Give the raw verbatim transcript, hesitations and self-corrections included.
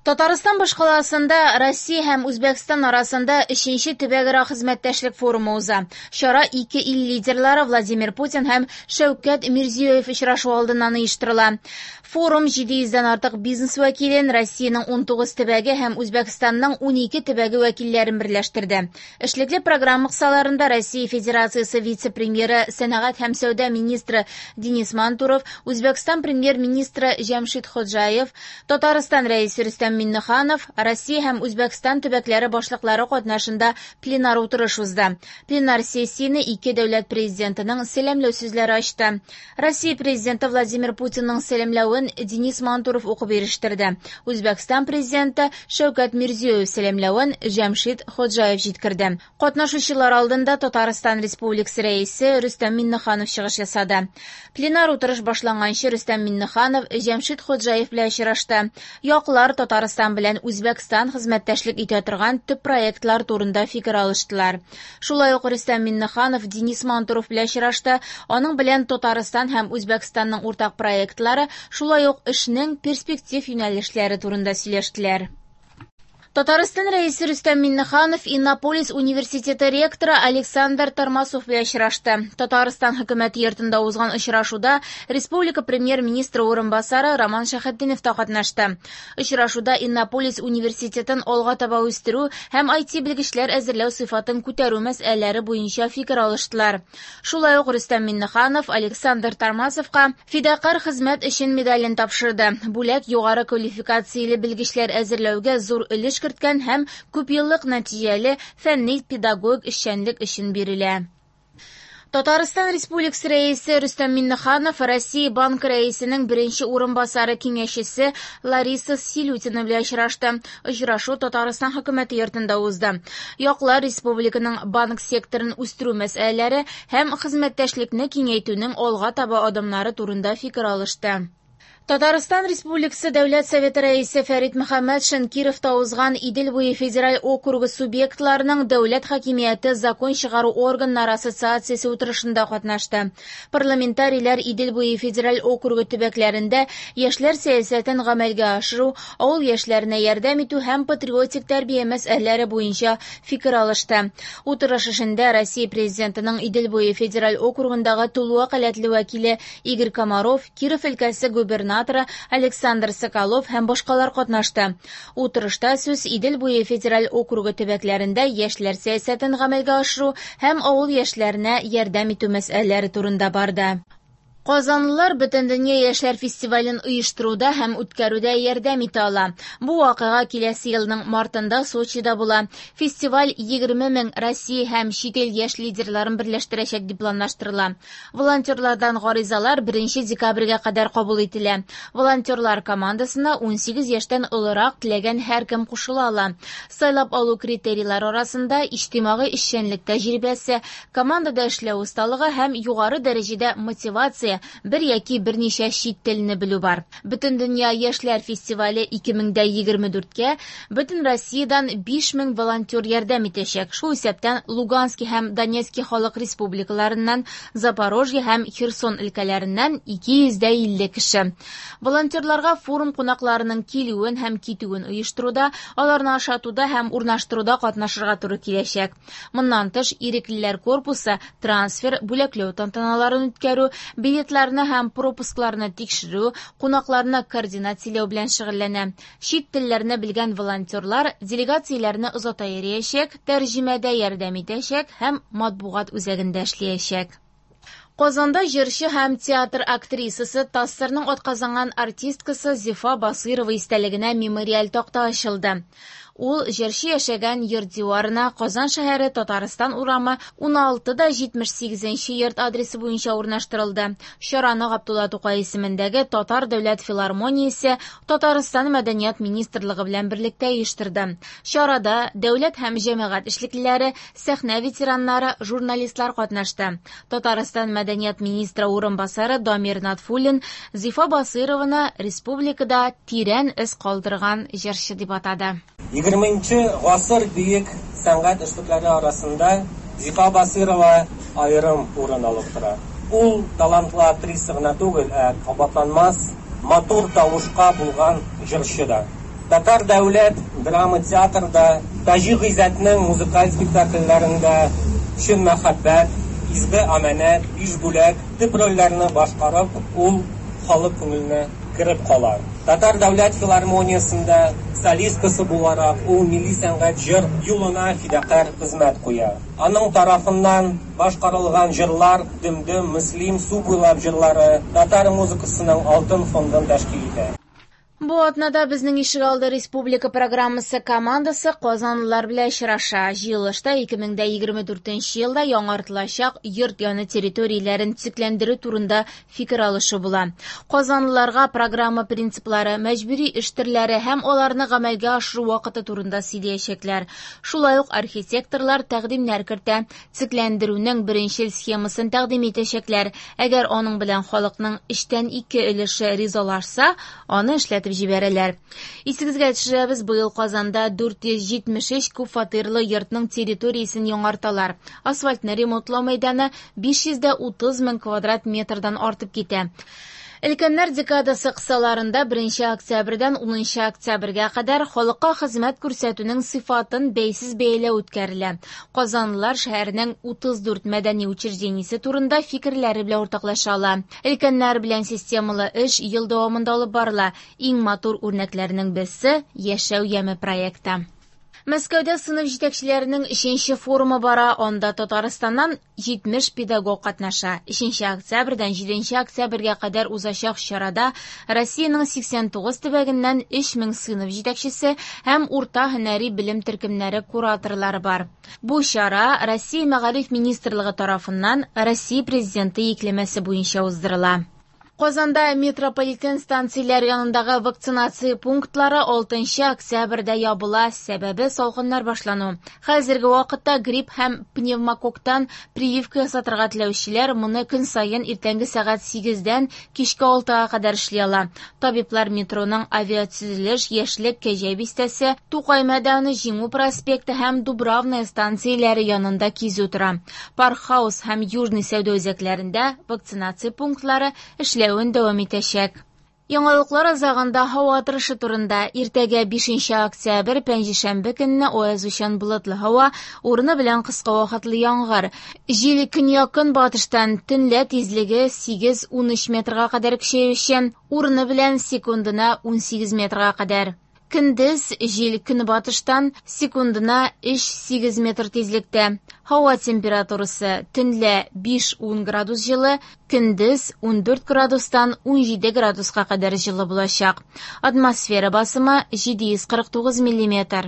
Татарстан башкаласында Россия һәм Үзбәкстан арасында өченче төбәкара хезмәттәшлек форумы уза. Чара ике ил лидерлары Владимир Путин һәм Шәүкәт Мирзиёев очрашу алдыннан оештырыла. Форум җиде йөздән артык бизнес вәкилен Россиянең унтугыз төбәге һәм Үзбәкстанның унике төбәге вәкилләрен берләштерде. Эшлекле программа кысаларында Россия Федерациясе вице-премьеры, сәнәгать һәм сәүдә министры Денис Мантуров, Үзбәкстан премьер-министры Җәмшид Ходжаев, Татарстан рәисе Рөстәм Миңнеханов, Россия һәм Үзбәкстан төбәкләре башлыклары катнашында пленар утырыш узды. Пленар сессияне ике дәүләт президентының сәламләү сүзләре ачты. Россия президенты Владимир Путинның сәламләвен Денис Мантуров укып ирештерде. Үзбәкстан президенты Шәүкәт Мирзиёев сәламләвен Җәмшид Ходжаев җиткерде. Катнашучылар алдында Татарстан Республикасы рәисе Рөстәм Миңнеханов чыгыш ясады. Пленар утырыш башланганчы Рөстәм Миңнеханов Җәмшид Ходжаев белән очрашты. Яклар Татарстан белән Үзбәкстан хезмәттәшлек итә торган төп проектлар турында фикер алыштылар. Шулай ук Рөстәм Миңнеханов Денис Мантуров белән очрашты. Аның белән Татарстан һәм Үзбәкстанның уртак проектлары, шулай ук эшнең перспектив юнәлешләре турында сөйләштеләр. Татарстан рәисе Рөстәм Миңнеханов Иннополис университеты ректоры Александр Тормасов белән очрашты. Татарстан хөкүмәте йортында узган очрашуда республика премьер-министры урынбасары Роман Шәхетдинов та катнашты. Очрашуда Иннополис университетын алга таба үстерү һәм ай ти белгечләр әзерләү сыйфатын күтәрү мәсьәләләре буенча фикер алыштылар. Шулай ук Рөстәм Миңнеханов Александр Тормасовка фидакарь хезмәт өчен медален тапшырды. Бүләк югары квалификацияле белгечләр әзерләүгә зур өлеш керткән һәм күпьеллык нәтиҗәле фәнни педагогик эшчәнлек өчен бирелә. Татарстан Республикасы рәисе Рөстәм Миңнеханов Россия Банкы рәисенең беренче урынбасары киңәшчесе Лариса Селютина белән очрашты. Очрашу Татарстан хөкүмәте йортында узды. Яклар республиканың банк секторын үстерү мәсьәләләре һәм хезмәттәшлекне киңәйтүнең алга таба адымнары турында фикер алышты. Татарстан Республикасы Дәүләт Советы рәисе Фәрит Мөхәммәтшин Кировта узган Идел буе федераль округы субъектларының дәүләт хакимияте закон чыгару органнары ассоциациясе утырышында катнашты. Парламентарийлар Идел буе федераль округы төбәкләрендә яшьләр сәясәтен гамәлгә ашыру, авыл яшьләренә ярдәм итү һәм патриотик тәрбия мәсьәләләре буенча фикер алышты. Утырыш эшендә Россия президентының Идел буе федераль округындагы тулы вәкаләтле вәкиле Игорь Комаров, Киров өлкәсе губернаторы Александр Соколов һәм башкалар катнашты. Утырышта сүз Идел буе федераль округы төбәкләрендә яшьләр сәясәтен гамәлгә ашыру һәм авыл яшьләренә ярдәм итү мәсьәләләре турында барды. Казанлылар Бөтендөнья яшьләр фестивален оештыруда һәм үткәрүдә ярдәм итә ала. Бу вакыйга киләсе елның мартында Сочида була. Фестиваль егерме мең Россия һәм чит ил яшь лидерларын берләштерәчәк дип планлаштырыла. Волонтерлардан гаризалар беренче декабрьгә кадәр кабул ителә. Волонтерлар командасына унсигез яшьтән олырак теләгән һәркем кушыла ала. Сайлап алу критерийлары арасында иҗтимагый эшчәнлек тәҗрибәсе, командада эшләү осталыгы һәм югары дәрәҗәдә мотивация, бер яки берничә чит телне белү бар. Бөтендөнья яшьләр фестивале ике мең дә егерме дүрткә бөтен Россиядән биш мең волонтер ярдәм итәчәк. Шул исәптән Луганский һәм Донецкий халык республикаларыннан, Запорожье һәм Херсон өлкәләреннән ике йөз дә илле кеше. Волонтерларга форум кунакларының килүен һәм китүен оештыруда, аларны ашатуда һәм урнаштыруда катнашырга туры киләчәк. Моннан тыш, иреклеләр корпусы трансфер, бүләкләү тантаналарын үткәрү, билетларны һәм пропускларны тикшерү, кунакларны координацияләү белән шөгыльләнә. Чит телләрне белгән волонтерлар делегацияләрне озата йөриячәк, тәрҗемәдә ярдәм итәчәк һәм матбугат үзәгендә эшләячәк. Казанда җырчы һәм театр актрисасы, ТАССРның атказанган артисткасы Зифа Басыйрова истәлегенә мемориаль такта ачылды. Ул җырчы яшәгән йорт диварына Казан шәһәре Татарстан урамы уналты да җитмеш сигезенче йорт адресы буенча урнаштырылды. Чараны Габдулла Тукай исемендәге Татар дәүләт филармониясе Татарстан мәдәният министрлыгы белән берлектә оештырды. Чарада дәүләт һәм җәмәгать эшлеклеләре, сәхнә ветераннары, журналистлар катнашты. Татарстан мәдәният министры урынбасары Дамир Натфуллин Зифа Басыйрованы республикада тирән эз калдырган җырчы дип атады. Егерменче гасыр бөек сәнгать эшлекләре арасында Зифа Басыйрова аерым урын алып тора. Ул талантлы актриса гына түгел, ә кабатланмас матур тавышка булган җырчы да. Татар дәүләт драма театрда Таҗи Гыйззәтнең музыкаль спектакльләрендә Чын мәхәббәт, Изге амәнәт, Биш бүләк төп рольләрне башкарып, ул халык күңеленә кереп кала. Татар дәүләт филармониясендә солисткасы буларак ул милли сәнгать җыр юлына фидакарь хезмәт куя. Аның тарафыннан башкарылган җырлар Дөм-дөм, Мөслим, Су буйлап җырлары татар музыкасының алтын фондын тәшкил итә. Бу атнада безнең ишегалды республика программасы командасы казанлылар белән очраша. Җыелышта ике мең дә егерме дүртенче елда яңартылачак йорт яны территорияләрен төзекләндерү турында фикер алышу була. Казанлыларга программа принциплары, мәҗбүри эш төрләре һәм аларны гамәлгә ашыру вакыты турында сөйләячәкләр. Шулай ук архитекторлар тәкъдимнәр кертә. Төзекләндерүнең беренчел схемасын тәкъдим итәчәкләр. Әгәр аның белән халыкның өчтән ике өлеше ризалашса, аны эшләтеп җибәрәләр. Исегезгә төшерәбез, быел Казанда дүрт йөз җитмеш өч күп фатирлы йортның территориясен яңарталар. Асфальтны ремонтлау мәйданы биш йөз дә утыз мең квадрат метрдан артып китә. Өлкәннәр декадасы кысаларында беренче октябрьдән унынчы октябрьгә кадәр халыкка хезмәт күрсәтүнең сыйфатын бәйсез бәяләү үткәрелә. Казанлылар шәһәрнең утыз дүрт мәдәни учреждениесе турында фикерләре белән уртаклаша ала. Өлкәннәр белән системалы эш ел дәвамында алып барыла. Иң матур үрнәкләрнең берсе Яшәү яме проекты. Мәскәүдә сыйныф җитәкчеләренең өченче форумы бара. Анда Татарстаннан җитмеш педагог катнаша. Өченче октябрьдән җиденче октябрьгә кадәр узачак чарада Россиянең сиксән тугыз төбәгеннән өч мең сыйныф җитәкчесе һәм урта һөнәри белем төркемнәре кураторлары бар. Бу чара Россия Мәгариф министрлыгы тарафыннан Россия Президенты йөкләмәсе буенча уздырыла. Казанда метрополитен станцияләре янындагы вакцинация пунктлары алтынчы октябрьдә ябыла, сәбәбе салкыннар башлану. Хәзерге вакытта грипп һәм пневмококтан прививка ясатырга теләүчеләр моны көн саен иртәнге сәгать сигездән кичке алтыга кадәр эшли ала. Табиблар метроның авиатөзелеш, Яшьлек, Кәҗә бистәсе, Тукай мәйданы, Җиңү проспекты һәм Дубравная станцияләре янында кизү тора. Паркхаус һәм Южный сәүдә үзәкләрендә вакцинация пунктлары эшләү дәвам итәчәк. Яңалыклар азагында һава торышы турында. Иртәгә бишенче октябрь пәнҗешәмбе көнне аязучан болытлы һава, урыны белән кыска вакытлы яңгыр. Җил көньяк-көнбатыштан төнлә тизлеге сигез-ун өч метрга кадәр көчәючән, урыны белән секундына ун сигез метрга кадәр. Көндез җил көнбатыштан секундына өч-сигез метр тизлектә. Һава температурасы төнлә биш-ун градус җылы, көндез ун дүрт градустан ун җиде градуска кадәр җылы булачак. Атмосфера басымы җиде йөз кырык тугыз миллиметр.